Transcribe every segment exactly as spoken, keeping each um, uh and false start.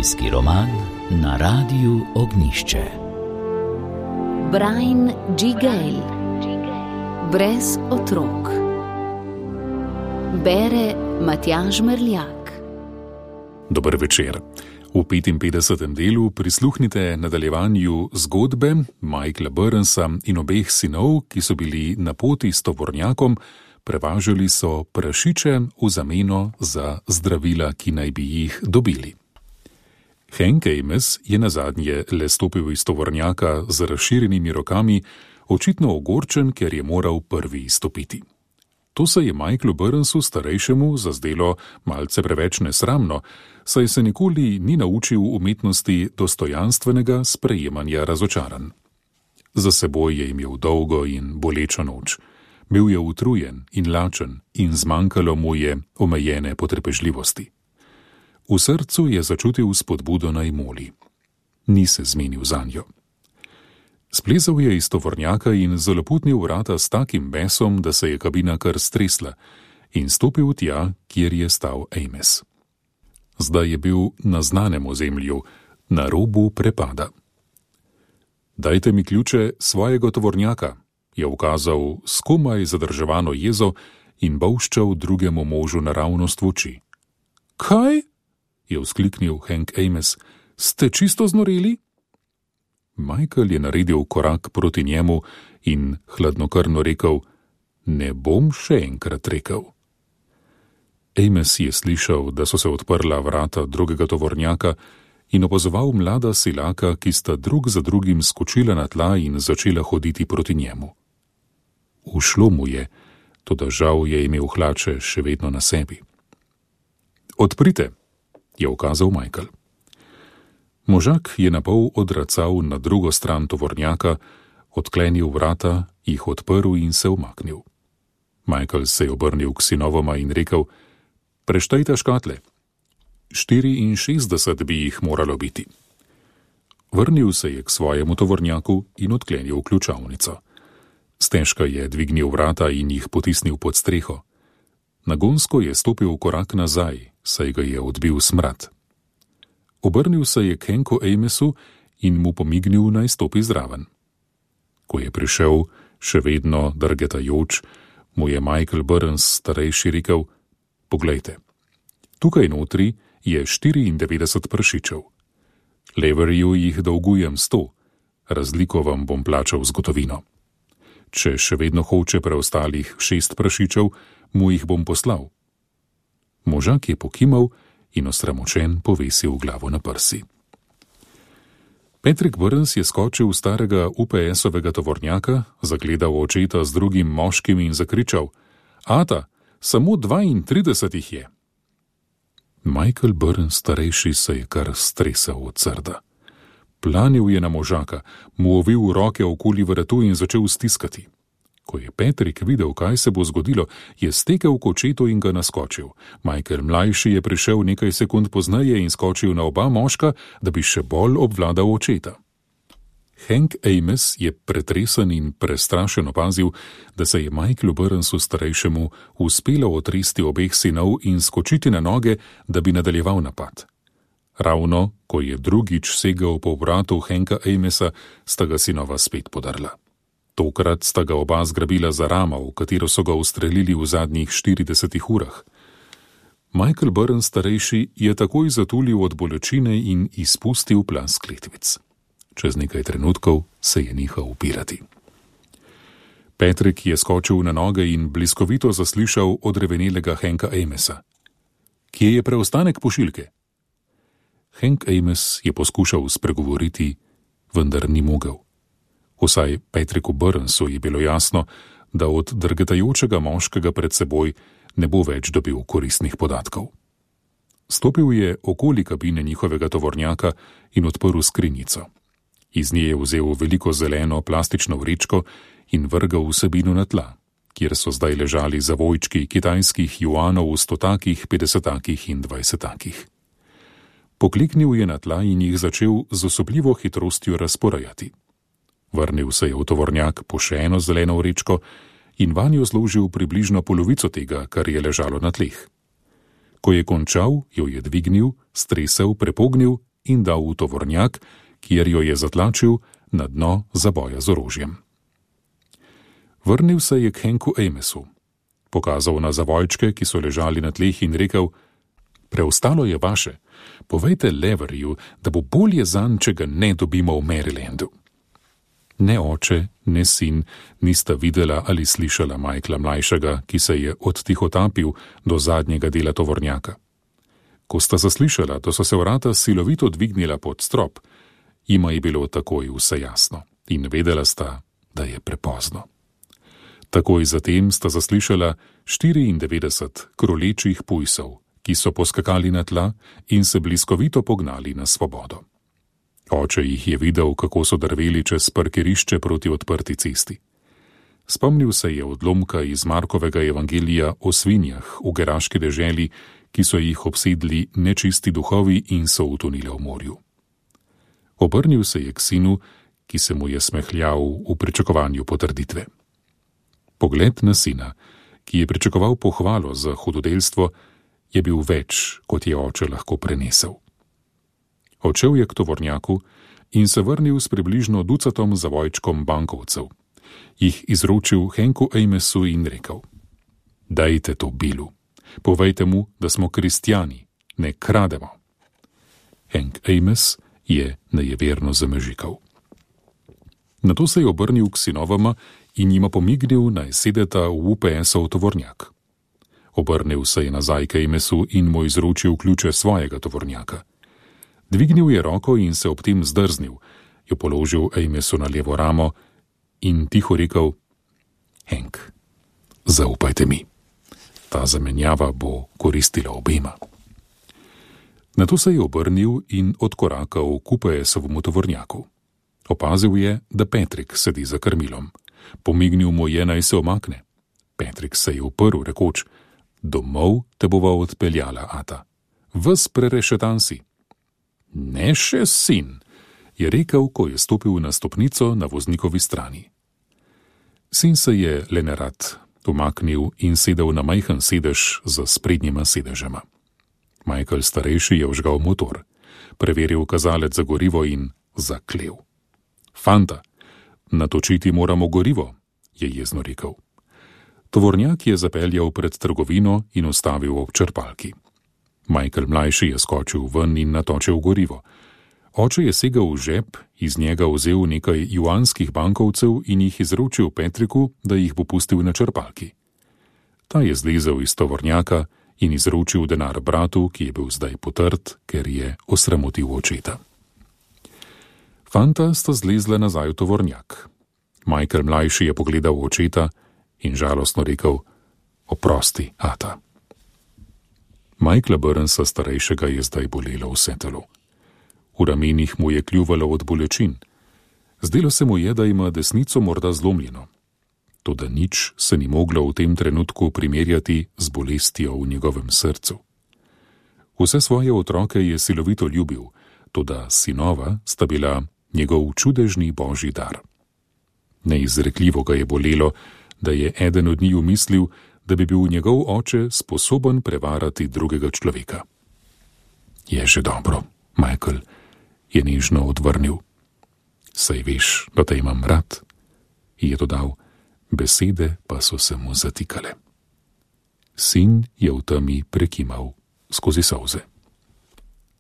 Zgodovinski roman na Radiu Ognjišče. Brian G. Gale. Brez otrok. Bere Matjaž Merljak. Dober večer. V petinpetdesetem delu prisluhnite nadaljevanju zgodbe Michaela Burnsa in obeh sinov, ki so bili na poti s tovornjakom, prevažali so prašiče v zameno za zdravila, ki naj bi jih dobili. Hank Amos je nazadnje le stopil iz tovornjaka z razširjenimi rokami, očitno ogorčen, ker je moral prvi izstopiti. To se je Michaelu Burnsu starejšemu zazdelo malce preveč nesramno, saj se nikoli ni naučil umetnosti dostojanstvenega sprejemanja razočaranj. Za seboj je imel dolgo in bolečo noč. Bil je utrujen in lačen in zmanjkalo mu je omejene potrpežljivosti. V srcu je začutil spodbudo naj moli. Ni se zmenil zanjo. Splezal je iz tovornjaka in zaloputnil vrata s takim besom, da se je kabina kar stresla, in stopil tja, kjer je stal Amos. Zdaj je bil na znanem ozemlju, na robu prepada. Dajte mi ključe svojega tovornjaka, je ukazal s komaj zadrževano jezo in bolščal drugemu možu naravnost v oči. Kaj? Je vzkliknil Hank Amos. Ste čisto znoreli? Michael je naredil korak proti njemu in hladnokrvno rekel, ne bom še enkrat rekel. Amos je slišal, da so se odprla vrata drugega tovornjaka in opazoval mlada silaka, ki sta drug za drugim skočila na tla in začela hoditi proti njemu. Ušlo mu je, toda žal je imel hlače še vedno na sebi. Odprite, je ukazal Michael. Možak je napol odracal na drugo stran tovornjaka, odklenil vrata, jih odprl in se umaknil. Michael se je obrnil k sinovoma in rekel, preštejte škatle. Štiriinšestdeset bi jih moralo biti. Vrnil se je k svojemu tovornjaku in odklenil ključavnico. Stežka je dvignil vrata in jih potisnil pod streho. Nagonsko je stopil korak nazaj, saj ga je odbil smrad. Obrnil se je k Hanku Amasu in mu pomignil, naj stopi zraven. Ko je prišel, še vedno drgetajoč, mu je Michael Burns starejši rekel, poglejte, tukaj notri je štiriindevetdeset pršičev. Leverju jih dolgujem sto, razliko vam bom plačal z gotovino. Če še vedno hoče preostalih šest prašičev, mu jih bom poslal. Možak je pokimal in osramočen povesil glavo na prsi. Patrick Burns je skočil v starega U P S-ovega tovornjaka, zagledal očeta z drugim moškim in zakričal, ata, samo dvaintrideset jih je. Michael Burns starejši se je kar stresal od srda. Planil je na možaka, mu ovil roke okoli vratu in začel stiskati. Ko je Patrick videl, kaj se bo zgodilo, je stekel k očetu in ga naskočil. Michael mlajši je prišel nekaj sekund pozneje in skočil na oba moška, da bi še bolj obvladal očeta. Hank Amos je pretresen in prestrašen opazil, da se je Michaelu Burnsu starejšemu uspelo otresti obeh sinov in skočiti na noge, da bi nadaljeval napad. Ravno, ko je drugič segel po vratu Hanka Amasa, sta ga sinova spet podarla. Tokrat sta ga oba zgrabila za ramo, v katero so ga ustrelili v zadnjih štiridesetih urah. Michael Burns starejši je takoj zatulil od bolečine in izpustil plaz kletvic. Čez nekaj trenutkov se je nehal upirati. Patrick je skočil na noge in bliskovito zaslišal odrevenelega Hanka Amasa. Kje je preostanek pošiljke? Hank Amos je poskušal spregovoriti, vendar ni mogel. Vsaj Patricku Burnsu je bilo jasno, da od drgetajočega moškega pred seboj ne bo več dobil koristnih podatkov. Stopil je okoli kabine njihovega tovornjaka in odprl skrinjico. Iz nje je vzel veliko zeleno plastično vrečko in vrgal vsebino na tla, kjer so zdaj ležali zavojčki kitajskih juanov v stotakih, petdesetakih in dvajsetakih. Pokliknil je na tla in jih začel z osupljivo hitrostjo razporajati. Vrnil se je v tovornjak po še eno zeleno vrečko in vanjo zložil približno polovico tega, kar je ležalo na tleh. Ko je končal, jo je dvignil, stresel, prepognil in dal v tovornjak, kjer jo je zatlačil na dno zaboja z orožjem. Vrnil se je k Hanku Amesu, pokazal na zavojčke, ki so ležali na tleh, in rekel: preostalo je vaše, povejte Leverju, da bo bolje zanj, če ga ne dobimo v Marylandu. Ne oče, ne sin nista videla ali slišala Michaela mlajšega, ki se je odtihotapil do zadnjega dela tovornjaka. Ko sta zaslišala, da so se vrata silovito dvignila pod strop, jima je bilo takoj vse jasno in vedela sta, da je prepozno. Takoj zatem sta zaslišala štiriindevetdeset krolečih pujsov, ki so poskakali na tla in se bliskovito pognali na svobodo. Oče jih je videl, kako so drveli čez parkirišče proti odprti cesti. Spomnil se je odlomka iz Markovega evangelija o svinjah v geraški deželi, ki so jih obsedli nečisti duhovi in so utonile v morju. Obrnil se je k sinu, ki se mu je smehljal v pričakovanju potrditve. Pogled na sina, ki je pričakoval pohvalo za hudodelstvo, je bil več, kot je oče lahko prenesel. Odšel je k tovornjaku in se vrnil s približno ducatom zavojčkom bankovcev. Jih izročil Hanku Amesu in rekel: dajte to Billu, povejte mu, da smo kristjani, ne krademo. Hank Ames je nejeverno zamežikal. Nato se je obrnil k sinovama in jima pomignil, naj sedeta v U P S-ov tovornjak. Obrnil se je nazaj k Amesu in mu izročil ključe svojega tovornjaka. Dvignil je roko in se ob tem zdrznil, jo položil Amesu na levo ramo in tiho rekel: Hank, zaupajte mi. Ta zamenjava bo koristila obema. Nato se je obrnil in odkorakal k U P S-ovemu tovornjaku. Opazil je, da Patrick sedi za krmilom. Pomignil mu je, naj se omakne. Patrick se je uprl, rekoč: domov te bova odpeljala, ata. Ves prerešetan si. Ne še sin, je rekel, ko je stopil na stopnico na voznikovi strani. Sin se je le nerad umaknil in sedel na majhen sedež za sprednjima sedežema. Michael starejši je vžgal motor, preveril kazalec za gorivo in zaklel. Fanta, natočiti moramo gorivo, je jezno rekel. Tovornjak je zapeljal pred trgovino in ustavil ob črpalki. Michael mlajši je skočil ven in natočil gorivo. Oče je segel v žep, iz njega vzel nekaj juanskih bankovcev in jih izročil Patricku, da jih bo pustil na črpalki. Ta je zlezel iz tovornjaka in izročil denar bratu, ki je bil zdaj potrt, ker je osramotil očeta. Fanta sta zlezla nazaj v tovornjak. Michael mlajši je pogledal očeta in žalostno rekel: oprosti, ata. Michaela Burnsa starejšega je zdaj bolelo vse telo. V ramenih mu je kljuvalo od bolečin. Zdelo se mu je, da ima desnico morda zlomljeno. Toda nič se ni moglo v tem trenutku primerjati z bolestjo v njegovem srcu. Vse svoje otroke je silovito ljubil, toda sinova sta bila njegov čudežni božji dar. Neizrekljivo ga je bolelo, da je eden od njiju mislil, da bi bil njegov oče sposoben prevarati drugega človeka. Je že dobro, Michael, je nežno odvrnil. Saj veš, da te imam rad, je dodal, besede pa so se mu zatikale. Sin je v temi prekimal skozi solze.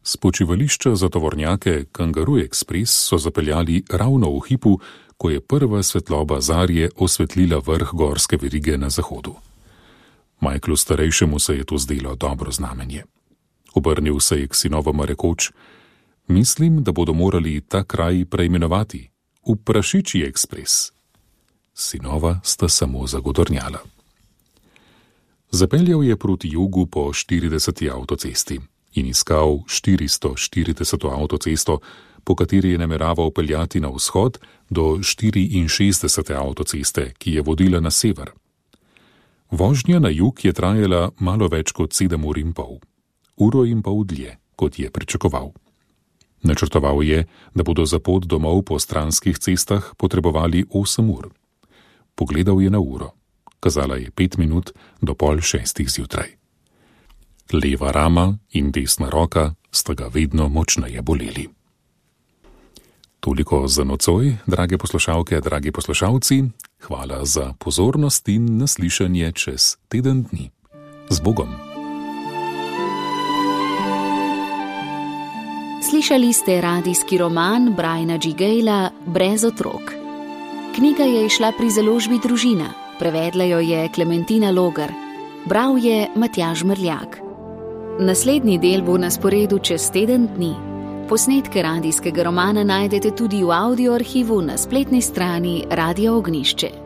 S počivališča za tovornjake Kangaroo Express so zapeljali ravno v hipu, ko je prva svetloba zarje osvetlila vrh gorske verige na zahodu. Michaelu starejšemu se je to zdelo dobro znamenje. Obrnil se je k sinovama rekoč: mislim, da bodo morali ta kraj preimenovati v Prašičji ekspres. Sinova sta samo zagodornjala. Zapeljal je proti jugu po štirideseti avtocesti in iskal štiristo štirideseto avtocesto, po kateri je nameraval peljati na vzhod do štiriinšestdesete avtoceste, ki je vodila na sever. Vožnja na jug je trajala malo več kot sedem ur in pol, uro in pol dlje, kot je pričakoval. Načrtoval je, da bodo za pot domov po stranskih cestah potrebovali osem ur. Pogledal je na uro. Kazala je pet minut do pol šestih zjutraj. Leva rama in desna roka sta ga vedno močneje boleli. Toliko za nocoj, drage poslušalke, dragi poslušalci. Hvala za pozornost in naslišanje čez teden dni. Z Bogom. Slišali ste radijski roman Briana G. Gayla Brez otrok. Knjiga je izšla pri založbi Družina, prevedla jo je Klementina Logar, bral je Matjaž Mrljak. Naslednji del bo na sporedu čez teden dni. Posnetke radijskega romana najdete tudi v audio arhivu na spletni strani Radia Ognjišče.